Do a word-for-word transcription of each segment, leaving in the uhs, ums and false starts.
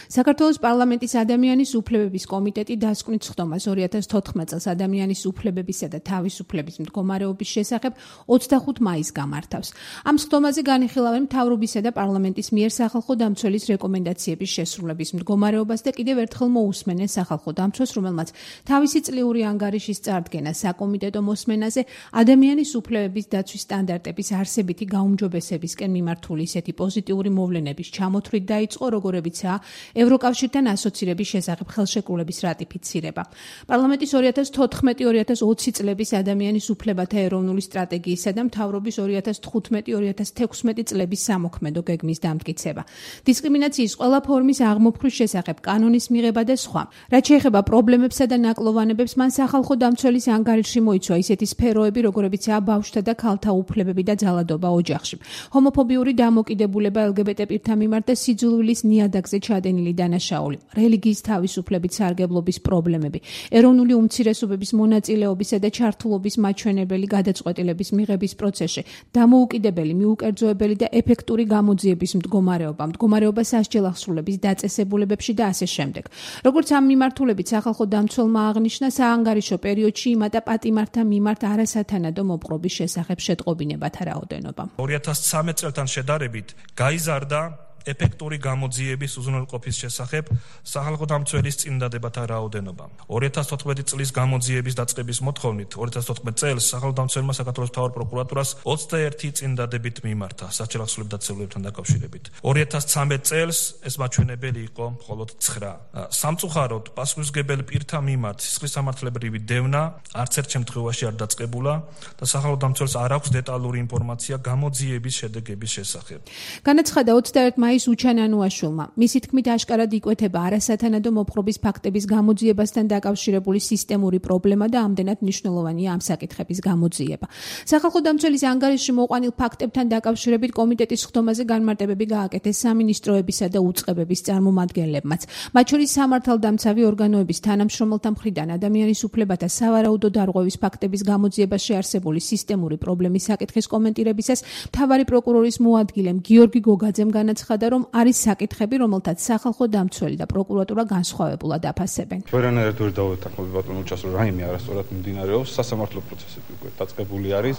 საქართველოს პარლამენტის ადამიანის უფლებების კომიტეტი დასკვნით სხდომას ორი ათას თოთხმეტ წელს ადამიანის უფლებებისა და თავისუფლების მდგომარეობის შესახებ ოცდახუთ მაისს გამართავს. Ამ სხდომაზე განიხილავენ მთავრობისა და პარლამენტის მიერ სახალხო დამცველის რეკომენდაციების შესრულების მდგომარეობას და კიდევ ერთხელ მოусმენენ სახალხო დამცველს, რომელმაც თავისი წლიური ანგარიშის წარდგენა საკომიტეტო მოსმენაზე ადამიანის უფლებების დაცვის სტანდარტების არსებითი გაუმჯობესებისკენ მიმართული ისეთი პოზიტიური მოვლენების ჩამოთვლით დაიწყო, როგორებიცაა ევროკავშირთან ასოცირების შესახებ ხელშეკრულების რატიფიცირება. პარლამენტის ორი ათას თოთხმეტი ორი ათას ოცი წლების ადამიანის უფლებათა ეროვნული სტრატეგიისა და მთავრობის ორი ათას თხუთმეტი ორი ათას თექვსმეტი წლების სამოქმედო გეგმის დამტკიცება. დისკრიმინაციის ყველა ფორმის აღმოფხვის შესახებ კანონის მიღება და სხვა. რაც შეეხება პრობლემებსა და ნაკლოვანებებს, მან სახალხო დამცველის ანგარიშში მოიცვა ისეთი სფეროები, როგორებიცაა ბავშვთა და ქალთა უფლებები და ძალადობა ოჯახში, ჰომოფობიური დამოკიდებულება ელ გი ბი ტი პირთა მიმართ და სიძულვილის ნიადაგზე ჩადენილი დანაშაული, რელიგიის თავისუფლებით სარგებლობის პრობლემები, ეროვნული უმცირესობების მონაწილეობისა და ჩართულობის მაჩვენებელი გადაწყვეტილების მიღების პროცესში, დამოუკიდებელი, მიუკერძოებელი და ეფექტური გამოძიების მდგომარეობა, მდგომარეობა სასჯელ აღსრულების დაწესებულებებში და ასე შემდეგ. როგორც ამ მიმართულებით სახალხო დამცველმა აღნიშნა, საანგარიშო პერიოდში იმატა პატიმართა მიმართ არასათანადო მოპყრობის შესახებ შეტყობინებათა რაოდენობა. ორი ათას ცხრამეტ წელთან შედარებით გაიზარდა ეფექტური გამოძიების უზრუნველყოფის შესახებ სახალხო დამცველის წინდადებათა რაოდენობა. ორი ათას თოთხმეტი წლის გამოძიების დაწყების მოთხოვნით ორი ათას თოთხმეტ წელს სახალხო დამცველმა საქართველოს მთავარ პროკურატურას ოცდაერთი წინდადებით მიმართა სასჯელ აღსრულებათა დაწესებულებებთან დაკავშირებით. ორი ათას ცხრამეტ წელს ეს მაჩვენებელი იყო მხოლოდ ცხრა. სამწუხაროდ პასუხისმგებელი პირთა მიმართ სისხლის სამართლებრივი დევნა არც ერთ შემთხვევაში არ დაწყებულა და სახალხო დამცველს არ აქვს დეტალური ინფორმაცია გამოძიების შედეგების შესახებ. განაცხადა ოცდაერთი მაისს უჩანანუაშვილმა. მისი თქმით, აშკარად იკვეთება არასათანადო მოპყრობის ფაქტების გამოძიებასთან დაკავშირებული სისტემური პრობლემა და ამდენად მნიშვნელოვანია ამ საკითხების გამოძიება. სახალხო დამცველის ანგარიშში მოყვანილ ფაქტებთან დაკავშირებით კომიტეტის სხდომაზე განმარტებები გააკეთეს სამინისტროებისა და უწყებების წარმომადგენლებმაც. მათ შორის სამართალდამცავი ორგანოების თანამშრომელთა მხრიდან ადამიანის უფლებათა სავარაუდო დარღვევის ფაქტების გამოძიებაში არსებული სისტემური პრობლემის საკითხის კომენტირებისას მთავარი პროკურორის მოადგილემ გიორგი გოგაძემ განაცხადა, რომ არის საკითხები, რომელთაც სახალხო დამცველი და პროკურატურა განსხვავებულად აფასებენ. ვერანაირად ვერ დავეთანხმები ბატონო უჩას, რომ რაიმე არასწორად მიმდინარეობს, სასამართლო პროცესები უკვე დაწყებული არის.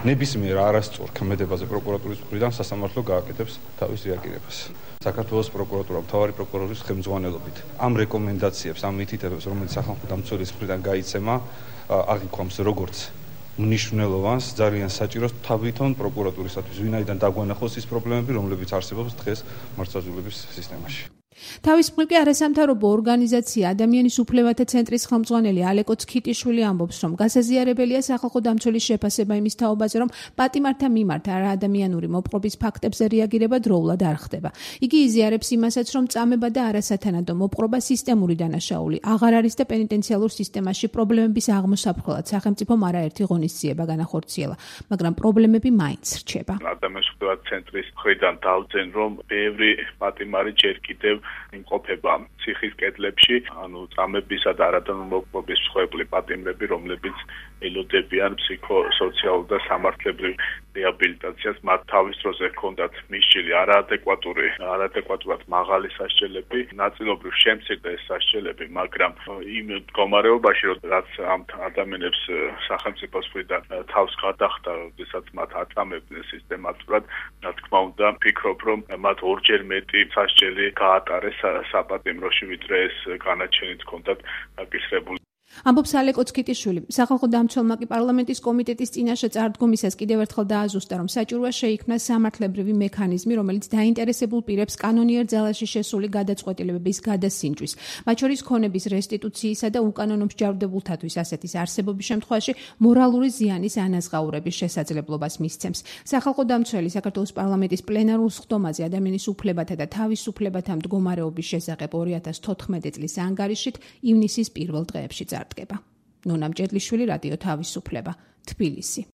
ნებისმიერ არასწორ ქმედებაზე პროკურატურის მხრიდან სასამართლო გააკეთებს თავის რეაგირებას. საქართველოს პროკურატურა მთავარი პროკურორის ხელმძღვანელობით ამ რეკომენდაციებს, ამ მითითებებს, რომელიც სახალხო დამცველის მხრიდან გაიცემა, აღიქვამს როგორც მნიშვნელოვანს, ძალიან საჭიროს თავითონ პროკურატურისათვის, ვინაიდან დაგვანახოს ის პრობლემები, რომლებიც არსებობს დღეს მართლმსაჯულების სისტემაში. თავის მხრივ კი არასამთავრობო ორგანიზაცია ადამიანის უფლებათა ცენტრის ხელმძღვანელი ალეკო ცქიტიშვილი ამბობს, რომ გასაზიარებელია სახალხო დამცველის შეფასება იმის თაობაზე, რომ პატიმართა მიმართ არაადამიანური მოპყრობის ფაქტებზე რეაგირება დროულად არ ხდება. იგი იზიარებს იმასაც, რომ წამება და არასათანადო მოპყრობა სისტემური დანაშაული აღარ არის და პენიტენციალურ სისტემაში პრობლემების აღმოსაფრთხებლად სახელმწიფომ არაერთი ღონისძიება განახორციელა, მაგრამ პრობლემები მაინც რჩება. ადამიანის უფლებათა ცენტრის მხრიდან დავძენ, რომ ბევრი პატიმარი ჯერ კიდევ იმყოფება ციხის კედლებში, ანუ წამებისა და არადამოკრობის მსხვერპლი პატიმრები, რომლებიც ელოდებიან ფსიქოსოციალურ და სამართლებრივ რეაბილიტაციას, მათ თავის დროზე ჰქონდათ მისჯილი არაადეკვატური, არაადეკვატურად მაღალი სასჯელები, ნაწილობრივ შემცირდა ეს სასჯელები, მაგრამ იმ მდგომარეობაში, რაც ამ ადამიანებს სახელმწიფოს მხრიდან თავს გადახდა, როდესაც მათ აწამებდნენ სისტემატურად, რა თქმა უნდა, ვფიქრობ, რომ მათ ორჯერ მეტი სასჯელი გაატარეს საპატიმროში, ვიდრე ეს განაჩენით ჰქონდათ გაკისრებული. ამბობს ალეკო ცქიტიშვილი. სახალხო დამცველმა კი პარლამენტის კომიტეტის წინაშე წარდგომისას კიდევ ერთხელ დააზუსტა, რომ საჭიროა შეიქმნა სამართლებრივი მექანიზმი, რომელიც დაინტერესებულ პირებს კანონიერ ძალაში შესული გადაწყვეტილებების გადასინჯვის, მათ შორის ქონების რესტიტუციისა და უკანონო მსჯავრდებულთათვის ასეთის არსებობის შემთხვევაში მორალური ზიანის ანაზღაურების შესაძლებლობას მისცემს. სახალხო დამცველი საქართველოს პარლამენტის პლენარულ სხდომაზე ადამიანის უფლებათა და თავისუფლებათა მდგომარეობის შესახებ ორი ათას თოთხმეტი წლის ანგარიშით ივნისის პირველ დღეებში წარდგება. ნონა მჭედლიშვილი, რადიო თავისუფლება, თბილისი.